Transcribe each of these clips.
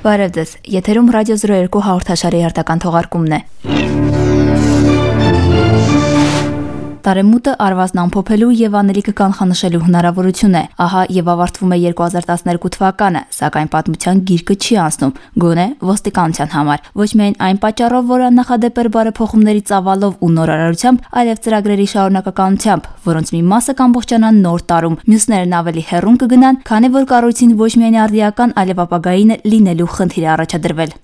Բարև ձեզ, եթերում ռադիո 02 հաղորդաշարի հերթական թողարկումն է։ Տարեմուտը արվազն ամփոփելու եւ անելիքը կանխանշելու հնարավորություն է։ Ահա եւ ավարտվում է 2012 թվականը, սակայն պատմության գիրկը չի անցնում, գոնե ոստիկանության համար։ Ոչ միայն այն պատճառով, որ աննախադեպ էր բարեփոխումների ծավալով ու նորարարությամբ, այլև ծրագրերի շարունակականությամբ, որոնց մի մասը կամբողջանան նոր տարում, մյուսներն ավելի հեռուն կգնան, քանի որ կառույցին ոչ միայն արդիական, այլև ապագային լինելու խնդիր է առաջադրվել։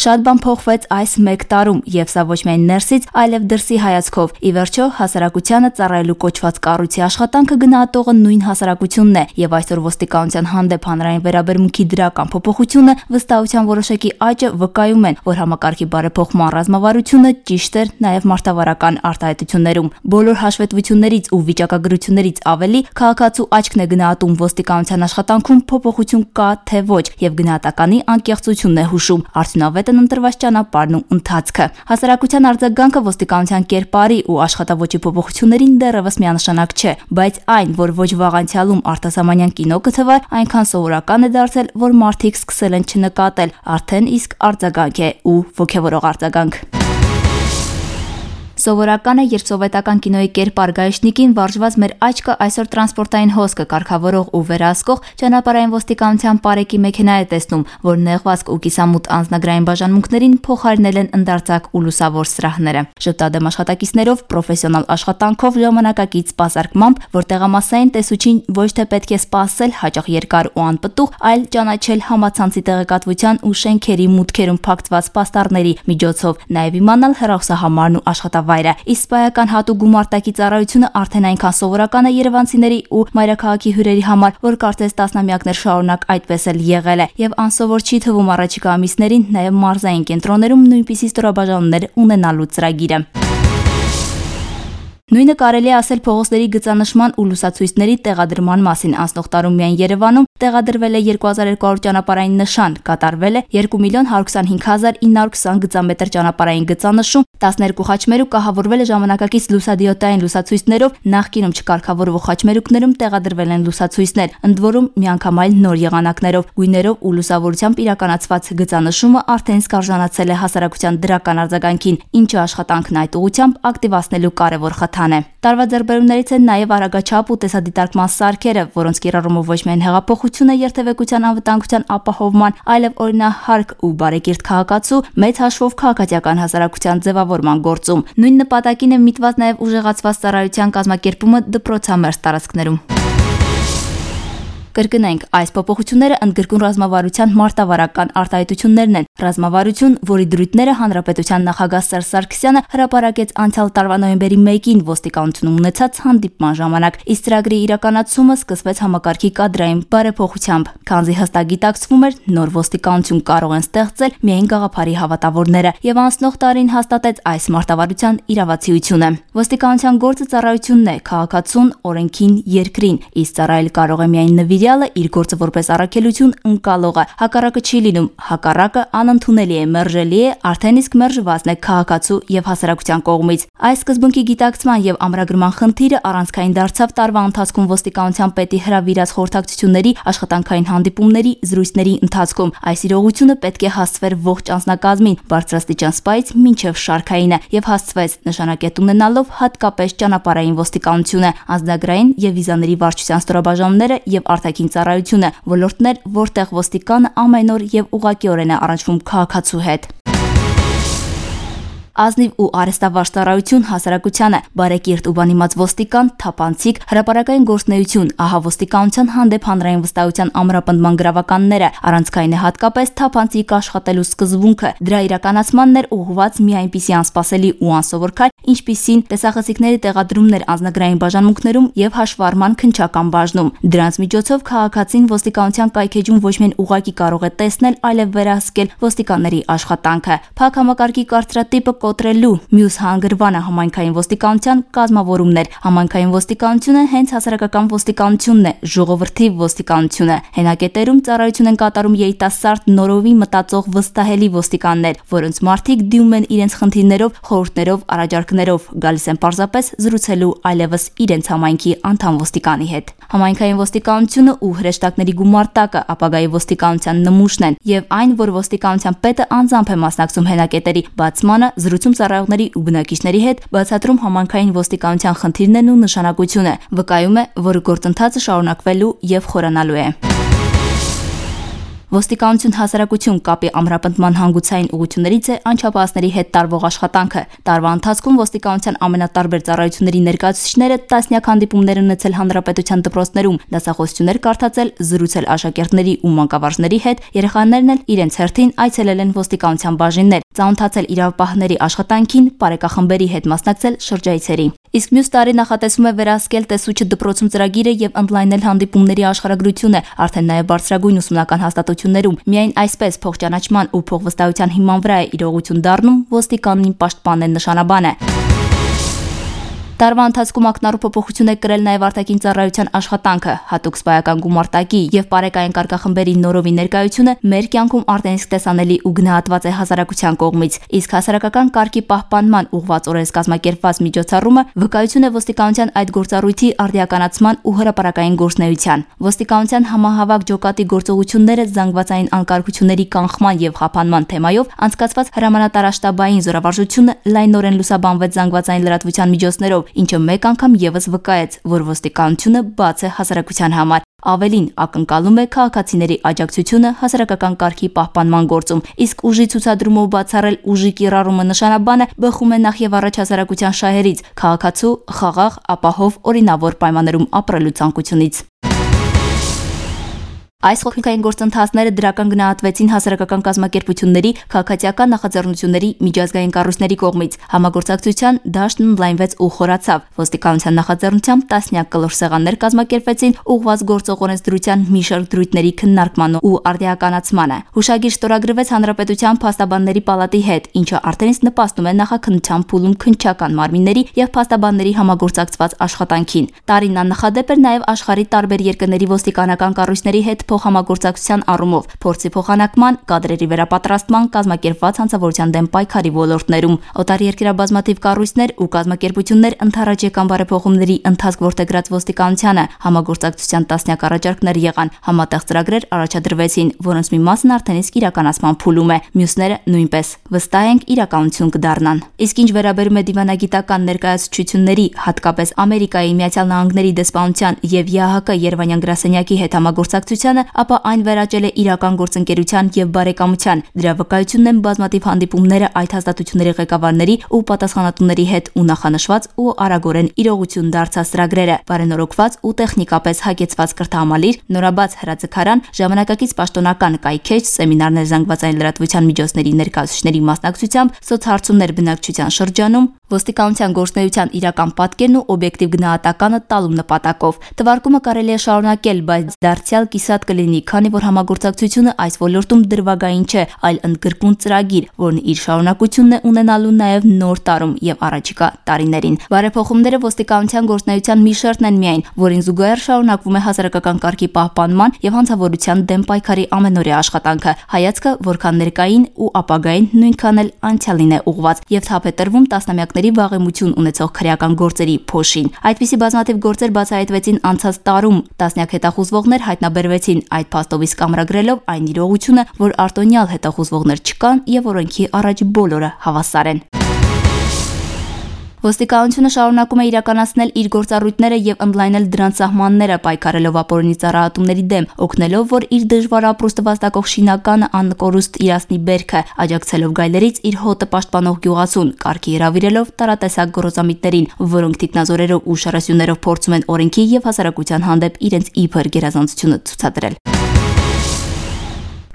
Շատ բան փոխվեց այս մեկ տարում, եւ սա ոչ միայն ներսից, այլև դրսի հայացքով։ Ի վերջո, հասարակությանը ծառայելու կոչված կառույցի աշխատանքը գնահատողը նույն հասարակությունն է, եւ այսօր ոստիկանության հանդեպ հանրային վերաբերմունքի դրական փոփոխությունը վստահության որոշակի աճը վկայում են, որ համակարգի բարեփոխման ռազմավարությունը ճիշտ էր նաեւ մարտավարական արտահայտություններում։ Բոլոր հաշվետվություններից ու վիճակագրություններից ավելի քաղաքացու աչքն է գնահատում ոստիկանության աշխատանքում փոփոխություն կա թե ոչ, եւ գնահատականի անկեղծությունն է հուշում արդյունավետ ընտրված ճանապարհն ու ընթացքը։ Հասարակության արձագանքը ոստիկանության կերպարի ու աշխատավոճի փոփոխություններին դեռևս միանշանակ չէ, բայց այն, որ ոչ վաղ անցյալում արտասահմանյան կինո կթվար, այնքան սովորական է դարձել, որ մարդիկ սկսել են չնկատել, արդեն իսկ արձագանք է ու ոգևորող արձագանք։ Սովորական է, երբ սովետական կինոյի կերպար գայշնիկին վարժված մեր աչքը այսօր տրանսպորտային հոսքը կարգավորող ու վերահսկող ճանապարհային ոստիկանության պարեկի մեքենա է տեսնում, որ նեղվածք ու կիսամութ անձնագրային բաժանմունքներին փոխարինել են ընդարձակ ու լուսավոր սրահները։ Շփտադեմ աշխատակիցներով, պրոֆեսիոնալ աշխատանքով, ժամանակակից սպասարկմամբ, որ տեղամասային տեսուչին ոչ թե պետք է սպասել հաճախ երկար ու անպտուղ, այլ ճանաչել համացանցի տեղեկատվության ու շենքերի մուտքերում փակցված պաստառների միջոցով, նաև իմանալ հեռախոսահամարն ու աշխատավայրը։ Իսկ սպայական հատուկ գումարտակի ծառայությունը արդեն այնքան սովորական է երևանցիների ու մայրաքաղաքի հյուրերի համար, որ կարծես տասնամյակներ շարունակ այդպես էլ եղել է, եւ անսովոր չի թվում առաջիկա ամիսներին նաև մարզային կենտրոններում նույնպիսի ստորաբաժանումներ ունենալու ծրագիրը։ Նույնը կարելի է ասել փողոցների գծանշման ու լուսացույցների տեղադրման մասին։ Անցնող տարում միայն Երևանում տեղադրվել է 2200 ճանապարհային նշան, կատարվել է 2,125,920 գծամետր ճանապարհային գծանշում, 12 խաչմերուկ կահավորվել է ժամանակակից լուսադիոդային լուսացույցներով, նախկինում չկարգավորվող խաչմերուկներում տեղադրվել են լուսացույցներ, ընդ որում միանգամայն նոր եղանակներով, գույներով ու լուսավորությամբ իրականացված գծանշումը արդեն սկարժանացել է հասարակության դրական արձագանքին, ինչը աշխատանքն այդ ուղղությամբ ակտիվացնելու կարևոր խթան է։ Տարվա ձեռքբերումներից են նաև արագաչափ ու տեսադիտարկման սարքերը, որոնց կիրառումով ոչ միայն հեղափոխությունը երթևեկության անվտանգության ապահովման, այլև օրինահարկ ու բարեկիրթ քաղաքացու մեծ հաշվով քաղաքացիական հասարակության ձևավորման գործում։ Նույն նպատակին է միտված նաև ուժեղացված ծառայության կազմակերպումը դպրոցամերձ տարածքներում։ Կրկնենք, այս փոփոխությունները ընդգրկուն ռազմավարության մարտավարական արտահայտություններն են։ Ռազմավարություն, որի դրույթները հանրապետության նախագահ Սերժ Սարգսյանը հրապարակեց անցյալ տարվա նոյեմբերի 1-ին ոստիկանությունում ունեցած հանդիպման ժամանակ, իսկ ծրագրի իրականացումը սկսվեց համակարգի կադրային բարեփոխությամբ, քանզի հստակ գիտակցվում էր, նոր ոստիկանություն կարող են ստեղծել միայն գաղափարի հավատավորները, եւ անցնող տարին հաստատեց այս մարտավարության իրավացիությունը։ Ոստիկանության գործը ծառայությունն է, քաղաքացուն, օրենքին, երկրին, իսկ ծառայել կարող է միայն նվիրյալ իր գործը որպես առաքելություն ընկալողը, հակառակը չի լինում, հակառակը անընդունելի է, մերժելի է, արդեն իսկ մերժվածն է քաղաքացու եւ հասարակության կողմից։ Այս սկզբունքի գիտակցման եւ ամրագրման խնդիրը առանցքային դարձավ տարվա ընթացքում ոստիկանության պետի հրավիրած խորհրդակցությունների, աշխատանքային հանդիպումների, զրույցների ընթացքում։ Այս իրողությունը պետք է հասցվեր ողջ անձնակազմին, բարձրաստիճան սպայից մինչեւ շարքայինը, եւ հասցվեց նշանակետ ունենալով հատկապես ճանապարհային ոստիկանությունը, անձնագրային եւ վիզաների վարչության ստորաբաժանումները եւ ծառայությունը, ոլորտներ, որտեղ ոստիկանը ամեն օր եւ ուղղակիորեն է առնչվում քաղաքացու հետ։ Ազնիվ ու արհեստավարժ ծառայություն հասարակությանը, բարեկիրթ ու բանիմաց ոստիկան, թափանցիկ, հրապարակային գործունեություն, ահա ոստիկանության հանդեպ հանրային վստահության ամրապնդման գրավականները, առանցքային է հատկապես թափանցիկ աշխատելու սկզբունքը, դրա իրականացմանն էր ուղղված մի այնպիսի անսպասելի ու անսովոր քայլ, ինչպիսին տեսախցիկների տեղադրումներ անձնագրային բաժանմունքներում եւ հաշվառման քննչական բաժնում։ Դրանց միջոցով քաղաքացին ոստիկանության կայքեջում ոչ միայն ուղղակի կարող է տեսնել, այլև վերահսկել ոստիկանների աշխատանքը։ Փակ համակարգի կարծրատիպը կոտրելու մյուս հանգրվանը համայնքային ոստիկանության կազմավորումն էր։ Համայնքային ոստիկանությունը հենց հասարակական ոստիկանությունն է, ժողովրդի ոստիկանությունը։ Հենակետերում ծառայություն են կատարում երիտասարդ, նորովի մտածող վստահելի ոստիկաններ, որոնց մարդիկ դիմում են իրենց խնդիրներով, խորհուրդներով, առաջարկներով հրաշքներով գալիս են պարզապես զրուցելու այլևս իրենց համայնքի անդամ ոստիկանի հետ։ Համայնքային ոստիկանությունը ու հրեշտակների գումարտակը ապագայի ոստիկանության նմուշն են եւ այն, որ ոստիկանության պետը անձամբ է մասնակցում հենակետերի բացմանը, զրուցում ծառայողների ու բնակիչների հետ, բացատրում համայնքային ոստիկանության խնդիրներն ու նշանակությունը, վկայում է, որ գործընթացը շարունակվելու եւ խորանալու է։ Ոստիկանություն հասարակություն կապի ամրապնդման հանգուցային ուղղություններից է անչափահասների հետ տարվող աշխատանքը։ Տարվա ընթացքում ոստիկանության ամենատարբեր ծառայությունների ներկայացուցիչները տասնյակ հանդիպումներ ունեցել հանրապետության դպրոցներում, դասախոսություններ կարդացել, զրուցել աշակերտների ու մանկավարժների հետ, երեխաներն էլ իրենց հերթին այցելել են ոստիկանության բաժիններ, ծանոթացել իրավապահների աշխատանքին, պարեկախմբերի հետ մասնակցել շրջայցերի։ Իսկ մյուս տարի նախատեսվում է վերահսկել տեսուչը դպրոցում ծրագիրը եւ ընդլայնել հանդիպումների աշխարհագրությունը, արդեն նաեւ բարձրագույն ուսումնական հաստատություններում։ Միայն այսպես փոխճանաչման ու փոխվստահության հիման վրա է իրողություն դառնում ոստիկանին պաշտպանեն նշանաբանը։ Տարվա ընթացքում ակնառու փոփոխություն է կրել նաև արտաքին ծառայության աշխատանքը, հատուկ սպայական գումարտակի եւ պարեկային կարգախմբերի նորովի ներկայությունը մեր կյանքում արդեն իսկ տեսանելի ու գնահատված է հասարակության կողմից, իսկ հասարակական կարգի պահպանման ուղղված օրերս կազմակերպված միջոցառումը վկայություն է ոստիկանության այդ գործառույթի արդիականացման ու հրապարակային գործունեության։ Ոստիկանության համահավաք ջոկատի գործողությունները զանգվածային անկարգությունների կանխման եւ խափանման թեմայով անցկացված հրամանատարաշտաբային զորավարժությունը լայնորեն լուսաբանվեց զանգվածային լրատվության միջոցներով, ինչը մեկ անգամ եւս վկայեց, որ ոստիկանությունը բաց է հասարակության համար։ Ավելին ակնկալում է քաղաքացիների աջակցությունը հասարակական կարգի պահպանման գործում, իսկ ուժի ցուցադրումով բացառել ուժի կիրառումը նշանաբանը բխում է նախ եւ առաջ հասարակության շահերից, քաղաքացու խաղաղ, ապահով, օրինավոր պայմաններում ապրելու ցանկությունից։ Այս խոհիկային գործընթացները դրական գնահատվեցին հասարակական կազմակերպությունների, քաղաքացիական նախաձեռնությունների, միջազգային կառույցների կողմից։ Համագործակցության դաշտն ընդլայնվեց ու խորացավ։ Ոստիկանության նախաձեռնությամբ տասնյակ կլոր սեղաններ կազմակերպվեցին ուղղված գործող օրենսդրության մի շարք դրույթների քննարկման ու արդիականացմանը։ Հուշագիր ստորագրվեց Հանրապետության փաստաբանների պալատի հետ, ինչը արդեն իսկ նպաստում է նախաքննության փուլում քննչական մարմինների եւ փաստաբանների համագործակցված աշխատանքին։ Տարին աննախադեպ էր նաեւ աշխարհի տարբեր երկրների ոստիկանական կառույցների հետ փոխհամագործակցության առումով, փորձի փոխանակման, կադրերի վերապատրաստման, կազմակերպված հանցավորության դեմ պայքարի ոլորտներում։ Օտարերկրյա բազմաթիվ կառույցներ ու կազմակերպություններ ընդառաջ եկան բարեփոխումների ընթացք որդեգրած ոստիկանությանը, համագործակցության տասնյակ առաջարկներ եղան, համատեղ ծրագրեր առաջադրվեցին, որոնց մի մասն արդեն իսկ իրականացման փուլում է, մյուսները նույնպես։ Վստահ ենք իրականություն կդառնան։ Իսկ ինչ վերաբերում է դիվանագիտական ներկայացուցչությունների, հատկապես Ամերիկայի Միացյալ Նահանգների դեսպանության եւ ԵԱՀԿ Երևանյան գրասենյակի հետ համագործակցությանը, ապա այն վերաճել է իրական գործընկերության եւ բարեկամության։ Դրա վկայությունն են բազմաթիվ հանդիպումները այդ հաստատությունների ղեկավարների ու պատասխանատուների հետ ու նախանշված ու արագորեն իրողություն դարձած ծրագրերը, բարենորոգված ու տեխնիկապես հագեցված կրթահամալիր, նորաբաց հրաձգարան, ժամանակակից պաշտոնական կայքեջ, սեմինարներ զանգվածային լրատվության միջոցների ներկայացուցիչների մասնակցությամբ, սոցհարցումներ բնակչության շրջանում, ոստիկանության գործունեության իրական պատկերն ու օբյեկտիվ գնահատականը տալու նպատակով։ Թվարկումը կարելի է շարունակել, բայց դարձյալ կիսատ կլինի, քանի որ համագործակցությունը այս ոլորտում դրվագային չէ, այլ ընդգրկուն ծրագիր, որն իր շարունակությունն է ունենալու նաև նոր տարում եւ առաջիկա տարիներին։ Բարեփոխումները ոստիկանության գործունեության մի շերտն են միայն, որին զուգահեռ շարունակվում է հասարակական կարգի պահպանման եւ հանցավորության դեմ պայքարի ամենօրյա աշխատանքը։ Հայացքը որքան ներկային ու ապագային, նույնքան էլ անցյալին է ուղղված եւ թափ է տրվում տասնամյակների վաղեմություն ունեցող քրեական գործերի փոշին։ Այդպիսի բազմաթիվ գործեր բացահայտվեցին անցած տարում, տասնյակ հետախուզվողներ հայտնաբերվեցին, այդ փաստով իսկ ամրագրելով այն իրողությունը, որ արտոնյալ հետախուզվողներ չկան եւ օրենքի առաջ բոլորը հավասար են։ Ոստիկանությունը շարունակում է իրականացնել իր գործառույթները եւ ընդլայնել դրանց սահմանները, պայքարելով ապօրինի ծառայատումների դեմ, օգնելով, որ իր դժվար ապրուստը վաստակող շինականը անկորուստ իրացնի բերքը, աջակցելով գայլերից իր հոտը պաշտպանող գյուղացուն, կարգի հրավիրելով տարատեսակ գործամիտներին, որոնք թիկնազորերով ու շարասյուններով փորձում են օրենքի եւ հասարակության հանդեպ իրենց իբր գերազանցությունը ցուցադրել։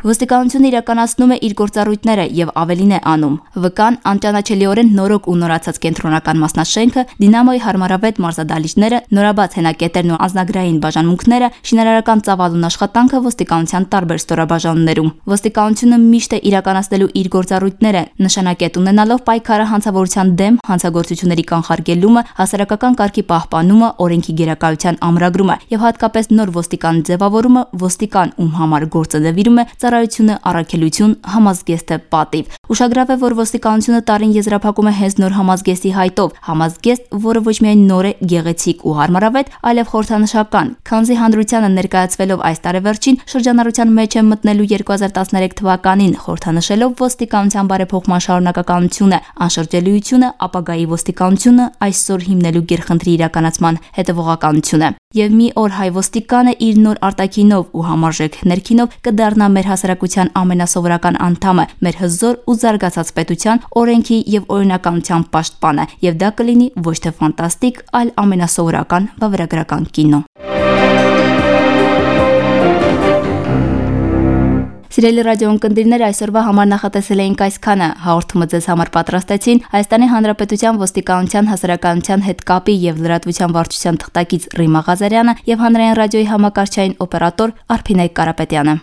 Ոստիկանությունը իրականացնում է իր գործառույթները եւ ավելին է անում։ ՎԿ-ն անճանաչելիորեն նորոգ ու նորացած կենտրոնական մասնաշենքը, Դինամոյի հարմարավետ մարզադահլիճները, նորաբաց հենակետերն ու անձնագրային բաժանմունքները, շինարարական ծավալուն աշխատանքը ոստիկանության տարբեր ստորաբաժանումներում։ Ոստիկանությունը միշտ է իրականացնելու իր գործառույթները, նշանակետ ունենալով պայքարը հանցավորության դեմ, հանցագործությունների կանխարգելումը, հասարակական կարգի պահպանումը, օրենքի գերակայության ամրագրումը եւ հատկապես նոր ոստիկան ձևավորումը, ոստիկան, ում համար գործը նվիրում է ծառայությունը առաքելություն, համազգեստը պատիվ։ Ուշագրավ է, որ ոստիկանությունը տարին եզրափակում է հենց նոր համազգեստի հայտով, համազգեստ, որը ոչ միայն նոր է, գեղեցիկ ու հարմարավետ, այլև խորհրդանշական, քանզի հանրությանը ներկայացվելով այս տարեվերջին շրջանառության մեջ է մտնելու 2013 թվականին, խորհրդանշելով ոստիկանության բարեփոխման շարունակականությունը, անշրջելիությունը, ապագայի ոստիկանությունը այսօր հիմնելու գերխնդրի իրականացման հետևողականությունը։ Եվ մի օր հայ ոստիկանը իր նոր արտաքինով ու համարժեք ներքինով կդառնա մեր հասարակության ամենասովորական անդամը, մեր հզոր ու զարգացած պետության օրենքի եւ օրինականության պաշտպանը, եւ դա կլինի ոչ թե ֆանտաստիկ, այլ ամենասովորական վավերագրական կինո։ Սիրելի ռադիոընկերներ, այսօրվա համար նախատեսել էինք այսքանը։ Հաղորդումը ձեզ համար պատրաստեցին Հայաստանի Հանրապետության ոստիկանության հասարակայնության հետ կապի եւ լրատվության վարչության թղթակից Ռիմա Ղազարյանը եւ հանրային ռադիոյի համակարգչային օպերատոր Արփինե Կարապետյանը։